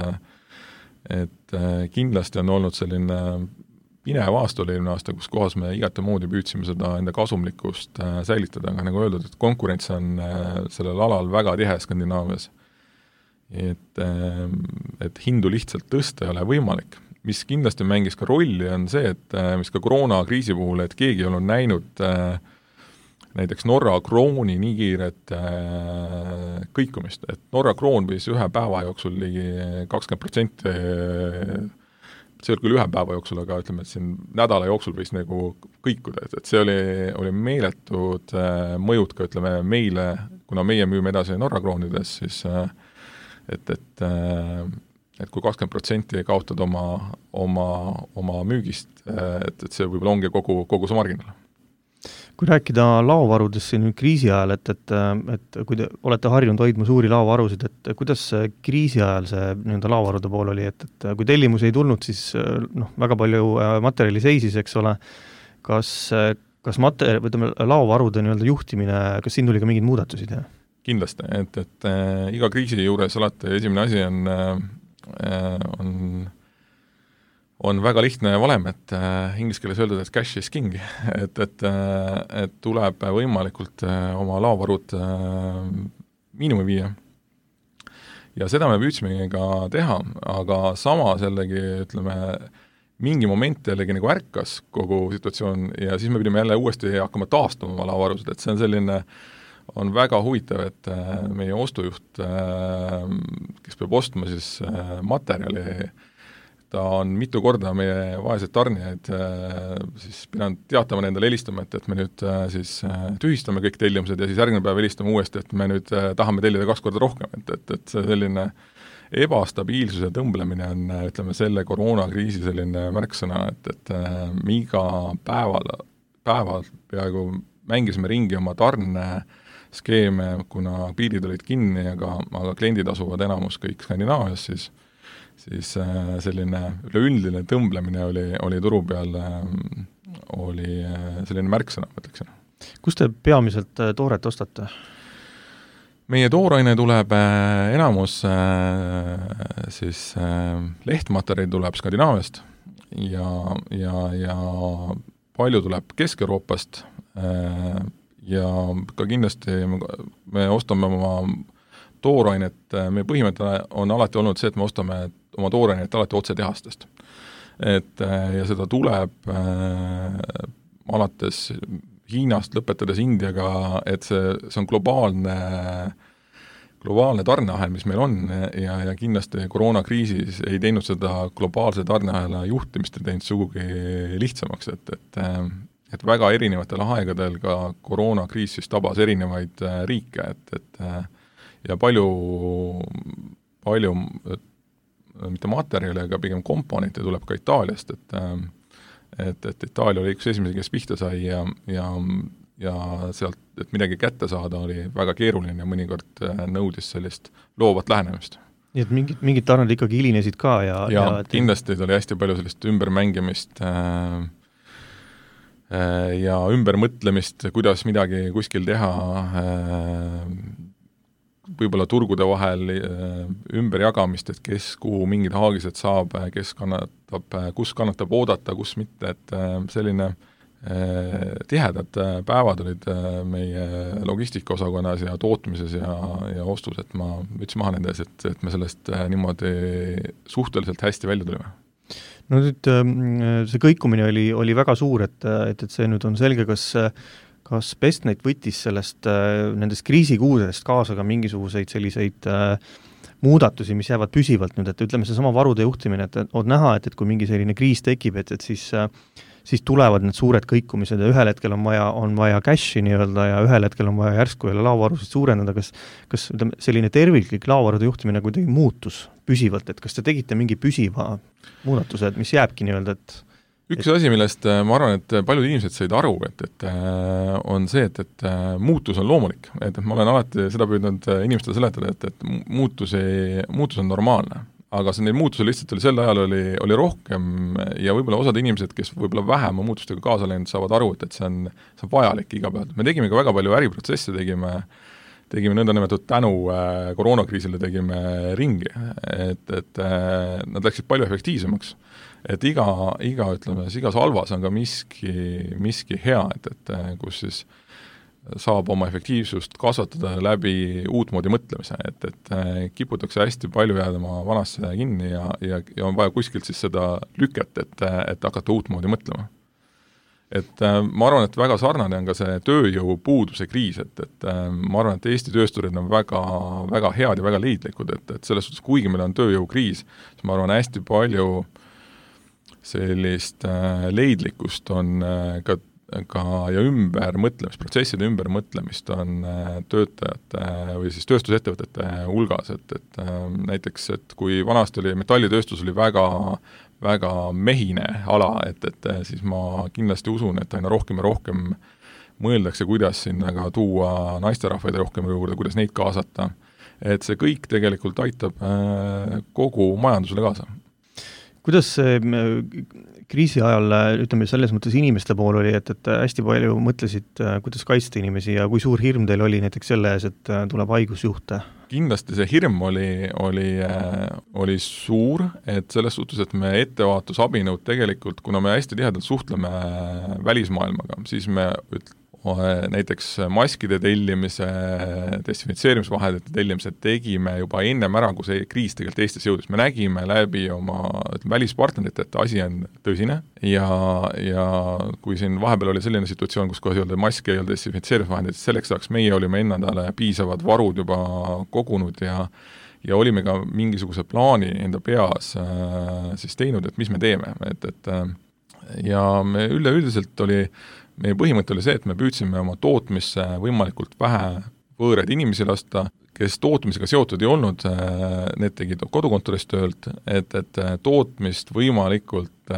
S3: et kindlasti on olnud selline pinev aasta oli eelmine aasta, kus kohas me igate moodi püüdsime seda enda kasumlikkust säilitada, aga nagu öeldud, et konkurents on sellel alal väga tihe Skandinaavias. Et, et hindu lihtsalt tõsta ei ole võimalik. Mis kindlasti mängis ka rolli, on see, et mis ka koroonakriisi puhul, et keegi ei olnud näinud näiteks Norra krooni nii kiiret äh, kõikumist, et Norra kroon võis ühe päeva jooksul ligi kakskümmend protsenti, see oli küll ühe päeva jooksul, aga ütleme, et siin nädala jooksul võis nagu kõikuda, et, et see oli, oli meeletud äh, mõjud ka, ütleme, meile, kuna meie müüme edasi Norra kroonides, siis äh, et, et, äh, et kui kakskümmend protsenti kaotad oma, oma, oma müügist, äh, et, et see võib-olla ongi kogu, kogu see marginaal.
S2: Kui rääkida laovarudest siin kriisi ajal, et, et, et kui te olete harjunud hoidma suuri laovarusid, et kuidas kriisi ajal see nii-öelda laovarude pool oli, et, et kui tellimus ei tulnud, siis noh, väga palju materjali seisis, eks ole, kas, kas mater-, võtame, laovarude nii-öelda juhtimine, kas siin tuli ka mingeid muudatusi teha? Kindlasti,
S3: et, et äh, iga kriisi juures alati esimene asi on, äh, on on väga lihtne valem, et äh, inglise keeles öeldud, et cash is king, et, et, äh, et tuleb võimalikult äh, oma laovarud äh, miinimumi viia. Ja seda me püüdsimegi ka teha, aga sama jällegi, ütleme, mingi moment jällegi nagu ärkas kogu situatsioon ja siis me pidime jälle uuesti hakkama taastama oma laovarusid, et see on selline, on väga huvitav, et äh, meie ostujuht, äh, kes peab ostma siis äh, materjali, ta on mitu korda meie vaesed tarnijaid siis pidanud teatama endale helistama, et, et me nüüd siis tühistame kõik tellimused ja siis järgmine päev helistame uuesti, et me nüüd tahame tellida kaks korda rohkem, et, et, et see selline ebastabiilsuse tõmblemine on, ütleme, selle koroonakriisi selline märksõna, et, et me iga päeval, päeval peaaegu mängisime ringi oma tarneskeeme, kuna piirid olid kinni, aga, aga kliendid asuvad enamus kõik Skandinaavias, siis siis selline üleüldine tõmblemine oli, oli turu peal, oli selline märksõna, mõtleksin.
S2: Kus te peamiselt tooret ostate?
S3: Meie tooraine tuleb enamus siis lehtmaterjali tuleb Skandinaaviast ja, ja, ja palju tuleb Kesk-Euroopast ja ka kindlasti me ostame oma toorainet, meie põhimõte on alati olnud see, et me ostame oma toorainet alati otse tehastest. Et, ja seda tuleb äh, alates Hiinast lõpetades Indiaga, et see, see on globaalne, globaalne tarneahel, mis meil on ja, ja kindlasti koroonakriisis ei teinud seda globaalse tarneahela juhtimist ja teinud sugugi lihtsamaks, et, et, et väga erinevatel aegadel ka koroonakriis siis tabas erinevaid riike, et, et ja palju, palju mitte materjali, aga pigem komponente tuleb ka Itaaliast, et, et, et Itaalia oli üks esimesi, kes pihta sai ja, ja, ja sealt, et midagi kätte saada, oli väga keeruline ja mõnikord nõudis sellist loovat lähenemist.
S2: Nii et mingid, mingid tarned ikkagi hilinesid ka ja...
S3: Ja, ja et... kindlasti oli hästi palju sellist ümbermängimist äh, ja ümbermõtlemist, kuidas midagi kuskil teha, võib-olla turgude vahel ümberjagamist, et kes kuhu mingid haagised saab, kes kannatab, kus kannatab oodata, kus mitte, et selline tihedad päevad olid meie logistikaosakonnas ja tootmises ja, ja ostus, et ma võtsin maha nende ees, et, et me sellest niimoodi suhteliselt hästi välja tulime.
S2: no nüüd see kõikumine oli, oli väga suur, et, et, et see nüüd on selge, kas, kas Bestnet võttis sellest nendest kriisikuudest kaasa ka mingisuguseid selliseid muudatusi, mis jäävad püsivalt nüüd, et ütleme, see sama varude juhtimine, et on näha, et, et kui mingi selline kriis tekib, et, et siis siis tulevad need suured kõikumised ja ühel hetkel on vaja, on vaja cashi nii-öelda ja ühel hetkel on vaja järsku jälle laovarusid suurendada, kas, kas ütleme, selline terviklik laovarude juhtimine kuidagi muutus püsivalt, et kas te tegite mingi püsiva muudatuse, et mis jääbki nii-öelda, et
S3: üks et... asi, millest ma arvan, et paljud inimesed said aru, et, et on see, et, et muutus on loomulik, et, et ma olen alati seda püüdnud inimestele seletada, et, et muutus, ei, muutus on normaalne. Aga see neid muutusi lihtsalt oli sel ajal oli, oli rohkem ja võib-olla osad inimesed, kes võib-olla vähema muutustega kaasa läinud, saavad aru, et, et see on, see on vajalik iga päev. Me tegime ka väga palju äriprotsesse, tegime, tegime nõnda nimetatud tänu äh, koroonakriisile tegime ringi, et, et äh, nad läksid palju efektiivsemaks. Et iga, iga ütleme, igas halvas on ka miski, miski hea, et, et kus siis saab oma efektiivsust kasvatada läbi uutmoodi mõtlemise, et, et kiputakse hästi palju jääda oma vanasse kinni ja, ja, ja on vaja kuskilt siis seda lüket, et, et hakata uutmoodi mõtlema. Et ma arvan, et väga sarnane on ka see tööjõu puuduse kriis, et, et ma arvan, et Eesti töösturid on väga, väga head ja väga leidlikud, et, et selles suhtes, kuigi meil on tööjõukriis, siis ma arvan, hästi palju sellist leidlikkust on ka ka ja ümbermõtlemist, protsesside ümbermõtlemist on töötajate või siis tööstusettevõtete hulgas, et, et näiteks, et kui vanasti oli metallitööstus oli väga, väga mehine ala, et, et siis ma kindlasti usun, et aina rohkem ja rohkem mõeldakse, kuidas sinna ka tuua naisterahvaid rohkem juurde, kuidas neid kaasata, et see kõik tegelikult aitab kogu majandusele kaasa.
S2: Kuidas see kriisi ajal, ütleme, selles mõttes inimeste pool oli, et, et hästi palju mõtlesid, kuidas kaitsta inimesi ja kui suur hirm teil oli näiteks selle ees, et tuleb haigusjuhte? Kindlasti
S3: see hirm oli, oli, oli suur, et selles suhtes, et me ettevaatusabinõud tegelikult, kuna me hästi tihedalt suhtleme välismaailmaga, siis me üt- näiteks maskide tellimise, desinfitseerimisvahendite tellimise tegime juba ennem ära, kui see kriis tegelikult Eestis jõudis. Me nägime läbi oma välispartnerite, et asi on tõsine ja, ja kui siin vahepeal oli selline situatsioon, kus kohe ei olnud maske, ei olnud desinfitseerimisvahendid, selleks saaks meie olime endale piisavad varud juba kogunud ja ja olime ka mingisuguse plaani enda peas äh, siis teinud, et mis me teeme, et, et ja me üleüldiselt oli meie põhimõte oli see, et me püüdsime oma tootmisse võimalikult vähe võõraid inimesi lasta, kes tootmisega seotud ei olnud, need tegid kodukontorist töölt, et, et tootmist võimalikult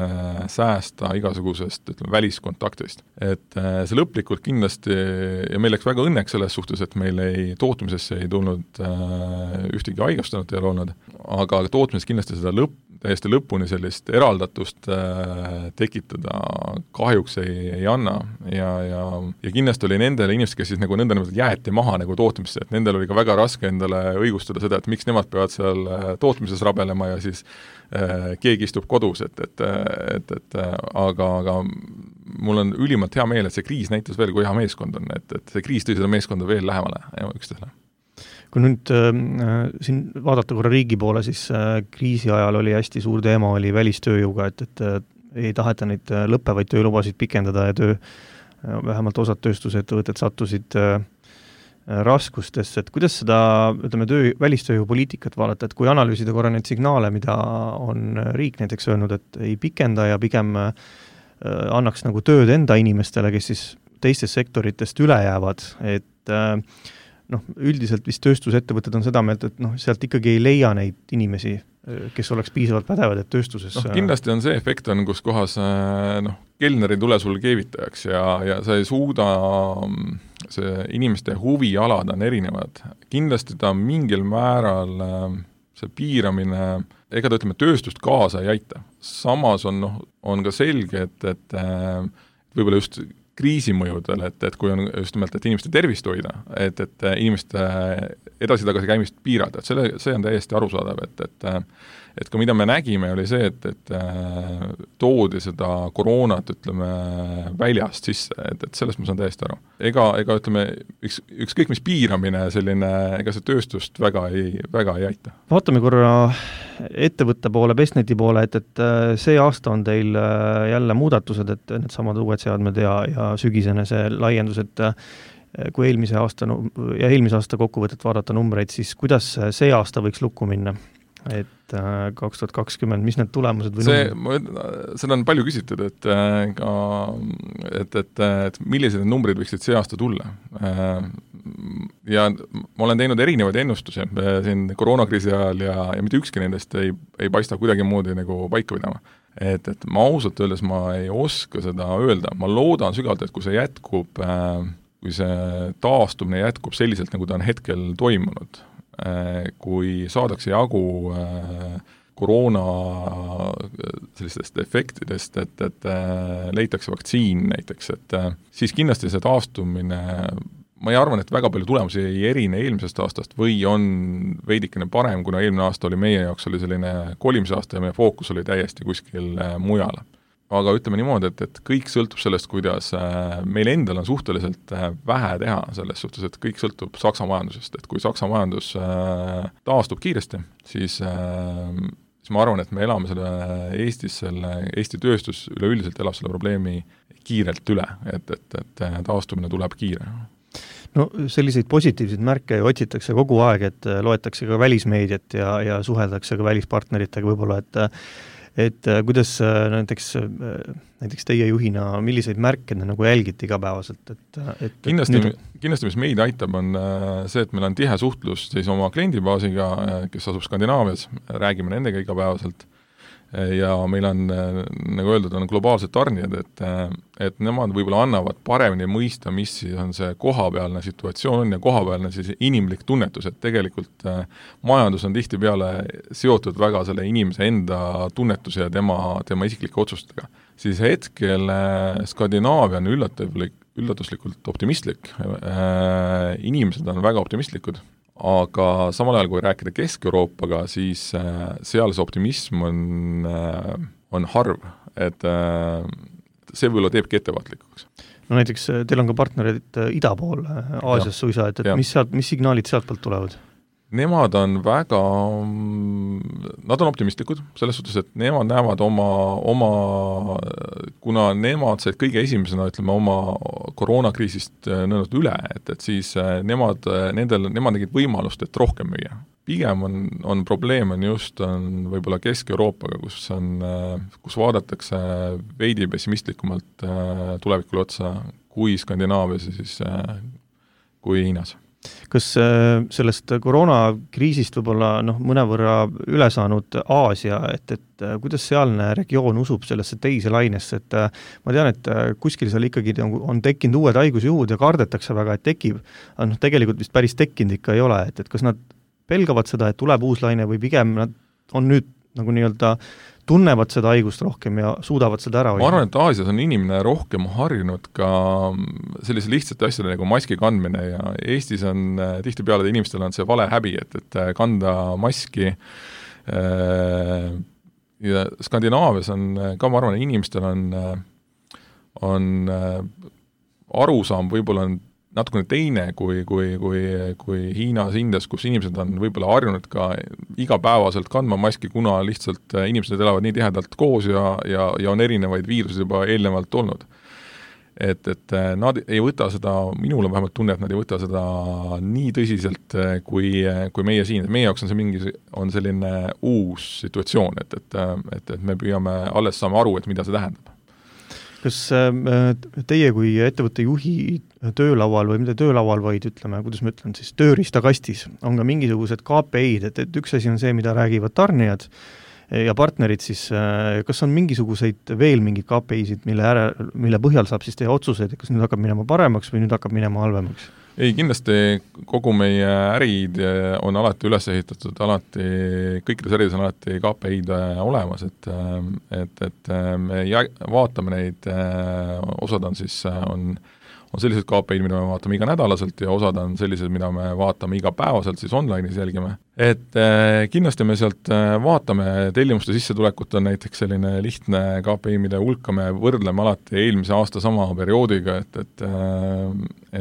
S3: säästa igasugusest ütleme, väliskontaktist. Et see lõplikult kindlasti, ja meil läks väga õnneks selles suhtes, et meil ei, tootmisesse ei tulnud ühtegi haigustunut ei ole olnud, aga tootmises kindlasti seda lõpp, täiesti lõpuni sellist eraldatust äh, tekitada kahjuks ei, ei anna ja, ja, ja kindlasti oli nendele inimesed, kes siis nagu nõnda nimelt jäeti maha nagu tootmisse, et nendel oli ka väga raske endale õigustada seda, et miks nemad peavad seal tootmises rabelema ja siis äh, keegi istub kodus, et, et, et, et aga, aga mul on ülimalt hea meel, et see kriis näitas veel, kui hea meeskond on, et, et see kriis tõi seda meeskonda veel lähemale ja üksteisele.
S2: Kui nüüd äh, siin vaadata korra riigi poole, siis äh, kriisi ajal oli hästi suur teema, oli välistööjõuga, et, et äh, ei taheta neid äh, lõppevaid töölubasid pikendada ja töö, äh, vähemalt osad tööstusettevõtted sattusid äh, raskustesse, et kuidas seda, ütleme, töö, välistööjõupoliitikat vaadata, et kui analüüsida korra neid signaale, mida on riik näiteks öelnud, et ei pikenda ja pigem äh, annaks nagu tööd enda inimestele, kes siis teistest sektoritest üle jäävad, et äh, noh, üldiselt vist tööstusettevõtted on seda meelt, et noh, sealt ikkagi ei leia neid inimesi, kes oleks piisavalt pädevad, et tööstuses
S3: noh, kindlasti on see efekt on, kus kohas noh, kelner ei tule sul keevitajaks ja, ja sa ei suuda, see inimeste huvialad on erinevad. Kindlasti ta mingil määral see piiramine, ega ta ütleme, tööstust kaasa ei aita. Samas on, noh, on ka selge, et, et võib-olla just kriisimõjudel, et, et kui on just nimelt, et inimeste tervist hoida, et, et inimeste edasi-tagasi käimist piirata, et selle, see on täiesti arusaadav, et, et et ka mida me nägime, oli see, et, et toodi seda koroonat, ütleme, väljast sisse, et, et sellest ma saan täiesti aru. Ega, ega ütleme, üks, ükskõik mis piiramine selline, ega see tööstust väga ei, väga ei aita.
S2: Vaatame korra ettevõtte poole, Bestneti poole, et, et see aasta on teil jälle muudatused, et need samad uued seadmed ja, ja sügisene see laiendus, et kui eelmise aasta ja eelmise aasta kokkuvõtet vaadata numbreid, siis kuidas see aasta võiks lukku minna? Et kaks tuhat kakskümmend, mis need tulemused või
S3: see, seda on palju küsitud, et, ka, et, et, et millised numbrid võiksid see aasta tulla. Ja ma olen teinud erinevaid ennustusi siin koroonakriisi ajal ja, ja mitte ükski nendest ei, ei paista kuidagi moodi nagu paika pidama. Et, et ma ausalt öeldes ma ei oska seda öelda, ma loodan sügavalt, et kui see jätkub, kui see taastumine jätkub selliselt, nagu ta on hetkel toimunud, kui saadakse jagu koroona sellistest efektidest, et, et leitakse vaktsiin näiteks, et siis kindlasti see taastumine, ma ei arvan, et väga palju tulemusi ei erine eelmisest aastast või on veidikene parem, kuna eelmine aasta oli meie jaoks oli selline kolimise aasta ja meie fookus oli täiesti kuskil mujal. Aga ütleme niimoodi, et, et kõik sõltub sellest, kuidas meil endal on suhteliselt vähe teha selles suhtes, et kõik sõltub Saksa majandusest, et kui Saksa majandus taastub kiiresti, siis, siis ma arvan, et me elame selle Eestis, selle Eesti tööstus üleüldiselt elab selle probleemi kiirelt üle, et, et, et taastumine tuleb kiire.
S2: No selliseid positiivseid märke ju otsitakse kogu aeg, et loetakse ka välismeediat ja, ja suheldakse ka välispartneritega võib-olla, et et kuidas näiteks, näiteks teie juhina, milliseid märke nagu jälgite igapäevaselt? Et, et
S3: kindlasti,
S2: nüüd...
S3: kindlasti, mis meid aitab, on see, et meil on tihe suhtlus siis oma kliendibaasiga, kes asub Skandinaavias, räägime nendega igapäevaselt ja meil on, nagu öeldud, on globaalsed tarnijad, et, et nemad võib-olla annavad paremini mõista, mis on see kohapealne situatsioon ja kohapealne siis inimlik tunnetus, et tegelikult majandus on tihtipeale seotud väga selle inimese enda tunnetuse ja tema, tema isiklike otsustega. Siis hetkel Skandinaavia on üllatavlik, üllatuslikult optimistlik, inimesed on väga optimistlikud, aga samal ajal, kui rääkida Kesk-Euroopaga, siis seal see optimism on, on harv, et see võib-olla teebki ettevaatlikuks.
S2: No näiteks teil on ka partnerid ida pool, Aasias suisa, et, et mis, sealt, mis signaalid sealt poolt tulevad?
S3: Nemad on väga, nad on optimistlikud, selles suhtes, et nemad näevad oma, oma, kuna nemad said kõige esimesena, ütleme, oma koroonakriisist nõnnud üle, et, et siis nemad, nendel, nemad tegid võimalust, et rohkem müüa. Pigem on, on probleem on just on võib-olla Kesk-Euroopaga, kus on, kus vaadatakse veidi pessimistlikumalt tulevikule otsa kui Skandinaavias ja siis kui Hiinas.
S2: Kas sellest koroonakriisist võib-olla noh, mõnevõrra üle saanud Aasia, et, et kuidas sealne regioon usub sellesse teise lainesse, et ma tean, et kuskil seal ikkagi on tekkinud uued haigusjuhud ja kardetakse väga, et tekib, aga noh, tegelikult vist päris tekkinud ikka ei ole, et, et kas nad pelgavad seda, et tuleb uus laine või pigem nad on nüüd nagu nii-öelda tunnevad seda haigust rohkem ja suudavad seda ära hoida?
S3: Ma arvan, et Aasias on inimene rohkem harjunud ka sellise lihtsate asjade nagu maski kandmine ja Eestis on tihtipeale inimestel on see vale häbi, et, et kanda maski ja Skandinaavias on ka, ma arvan, inimestel on, on arusaam võib-olla on natukene teine kui, kui, kui, kui Hiinas, Indias, kus inimesed on võib-olla harjunud ka igapäevaselt kandma maski, kuna lihtsalt inimesed elavad nii tihedalt koos ja, ja, ja on erinevaid viiruseid juba eelnevalt olnud. Et, et nad ei võta seda, minul on vähemalt tunne, et nad ei võta seda nii tõsiselt kui, kui meie siin. Meie jaoks on see mingi, on selline uus situatsioon, et, et, et, et me püüame alles saame aru, et mida see tähendab.
S2: Kas teie kui ettevõtte juhi töölaual või mitte töölaual, vaid ütleme, kuidas ma ütlen, siis tööriistakastis on ka mingisugused K P I-d, et, et üks asi on see, mida räägivad tarnijad ja partnerid, siis kas on mingisuguseid veel mingeid K P I-sid, mille, ära, mille põhjal saab siis teha otsuseid, kas nüüd hakkab minema paremaks või nüüd hakkab minema halvemaks?
S3: Ei, kindlasti kogu meie ärid on alati üles ehitatud, alati, kõikides ärides on alati K P I-d olemas, et, et, et me vaatame neid, osad on siis, on, on sellised K P I-d, mida me vaatame iga nädalaselt ja osad on sellised, mida me vaatame iga päevaselt, siis online'is jälgime. Et eh, kindlasti me sealt vaatame, tellimuste sissetulekut on näiteks selline lihtne K P I, mille hulka me võrdleme alati eelmise aasta sama perioodiga, et, et,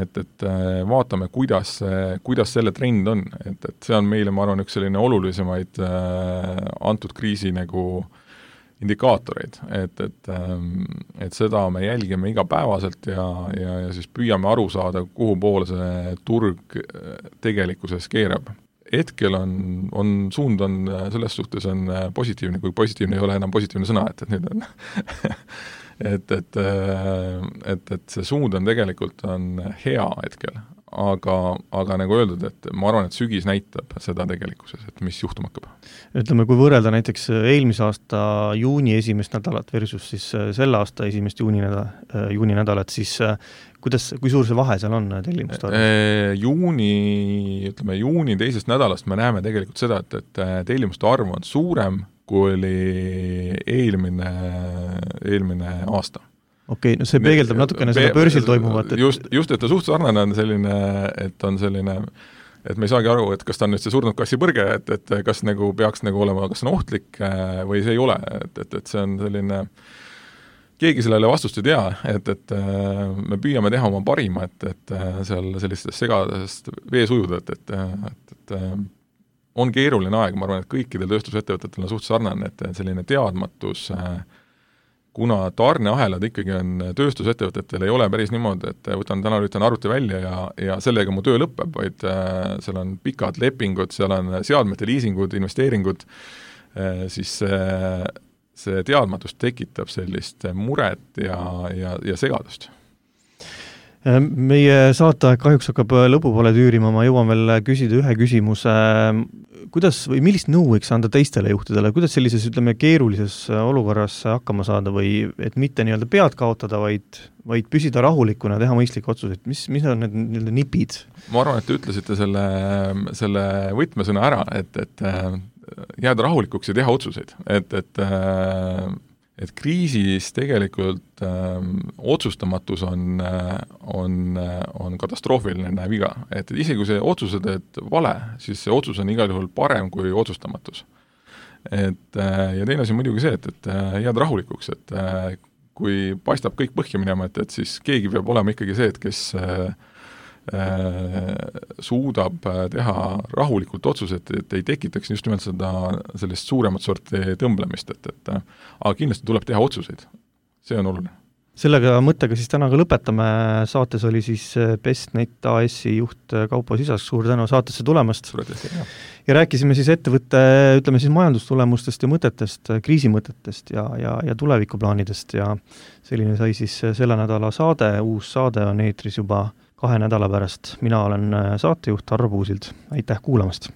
S3: et, et vaatame, kuidas, kuidas selle trend on. Et, et see on meile, ma arvan, üks selline olulisemaid antud kriisi nagu indikaatoreid, et, et, et seda me jälgime igapäevaselt ja, ja, ja siis püüame aru saada, kuhu poole see turg tegelikkuses keerab. Hetkel on, on, suund on selles suhtes on positiivne, kui positiivne ei ole enam positiivne sõna, et, et nüüd on et, et, et, et see suund on tegelikult on hea hetkel, aga, aga nagu öeldud, et ma arvan, et sügis näitab seda tegelikkuses, et mis juhtuma hakkab.
S2: Ütleme, kui võrrelda näiteks eelmise aasta juuni esimest nädalat versus siis selle aasta esimest juuni, nädal, juuni nädalat, siis kuidas, kui suur see vahe seal on tellimuste arvus?
S3: Juuni, ütleme, juuni teisest nädalast me näeme tegelikult seda, et, et tellimuste arv on suurem, kui oli eelmine, eelmine aasta.
S2: Okei, no see peegeldab natukene seda börsil toimuvat.
S3: Et... Just, just, et ta suht sarnane on selline, et on selline, et me ei saagi aru, et kas ta on nüüd see surnud kassi põrge, et, et kas nagu peaks nagu olema, kas see on ohtlik või see ei ole, et, et, et see on selline, keegi sellele vastust ei tea, et, et me püüame teha oma parima, et, et seal sellistest segadest vees ujuda, et, et, et, et on keeruline aeg, ma arvan, et kõikidel tööstusettevõtetel on suht sarnane, et selline teadmatus kuna tarneahelad ikkagi on tööstusettevõtetel, ei ole päris niimoodi, et võtan täna lülitan arvuti välja ja, ja sellega mu töö lõpeb, vaid äh, seal on pikad lepingud, seal on seadmete liisingud, investeeringud, äh, siis äh, see teadmatus tekitab sellist muret ja, ja, ja segadust.
S2: Meie saateaeg kahjuks hakkab lõpupoole tüürima, ma jõuan veel küsida ühe küsimuse. Kuidas või millist nõu võiks anda teistele juhtidele, kuidas sellises, ütleme, keerulises olukorras hakkama saada või et mitte nii-öelda pead kaotada, vaid, vaid püsida rahulikuna, teha mõistlikke otsuseid, mis, mis on need nii-öelda nipid?
S3: Ma arvan, et te ütlesite selle, selle võtmesõna ära, et, et jääda rahulikuks ja teha otsuseid, et, et et kriisis tegelikult äh, otsustamatus on, on, on katastroofiline viga, et isegi kui see otsuse teed vale, siis see otsus on igal juhul parem kui otsustamatus. Et, äh, ja teine asi on muidugi see, et, et jääd rahulikuks, et äh, kui paistab kõik põhja minema, et, et siis keegi peab olema ikkagi see, et kes äh, suudab teha rahulikult otsused, et ei tekitaks just nimelt seda sellist suuremat sorti tõmblemist, et, et aga kindlasti tuleb teha otsuseid. See on oluline.
S2: Sellega mõttega siis täna ka lõpetame. Saates oli siis Bestnet A S-i juht Kaupo Sisask, suur tänu saatesse tulemast. Ja rääkisime siis ettevõtte, ütleme siis majandustulemustest ja mõtetest, kriisimõtetest ja, ja, ja tulevikuplaanidest ja selline sai siis selle nädala saade, uus saade on eetris juba kahe nädala pärast. Mina olen saatejuht Arvo Puusild. Aitäh kuulamast!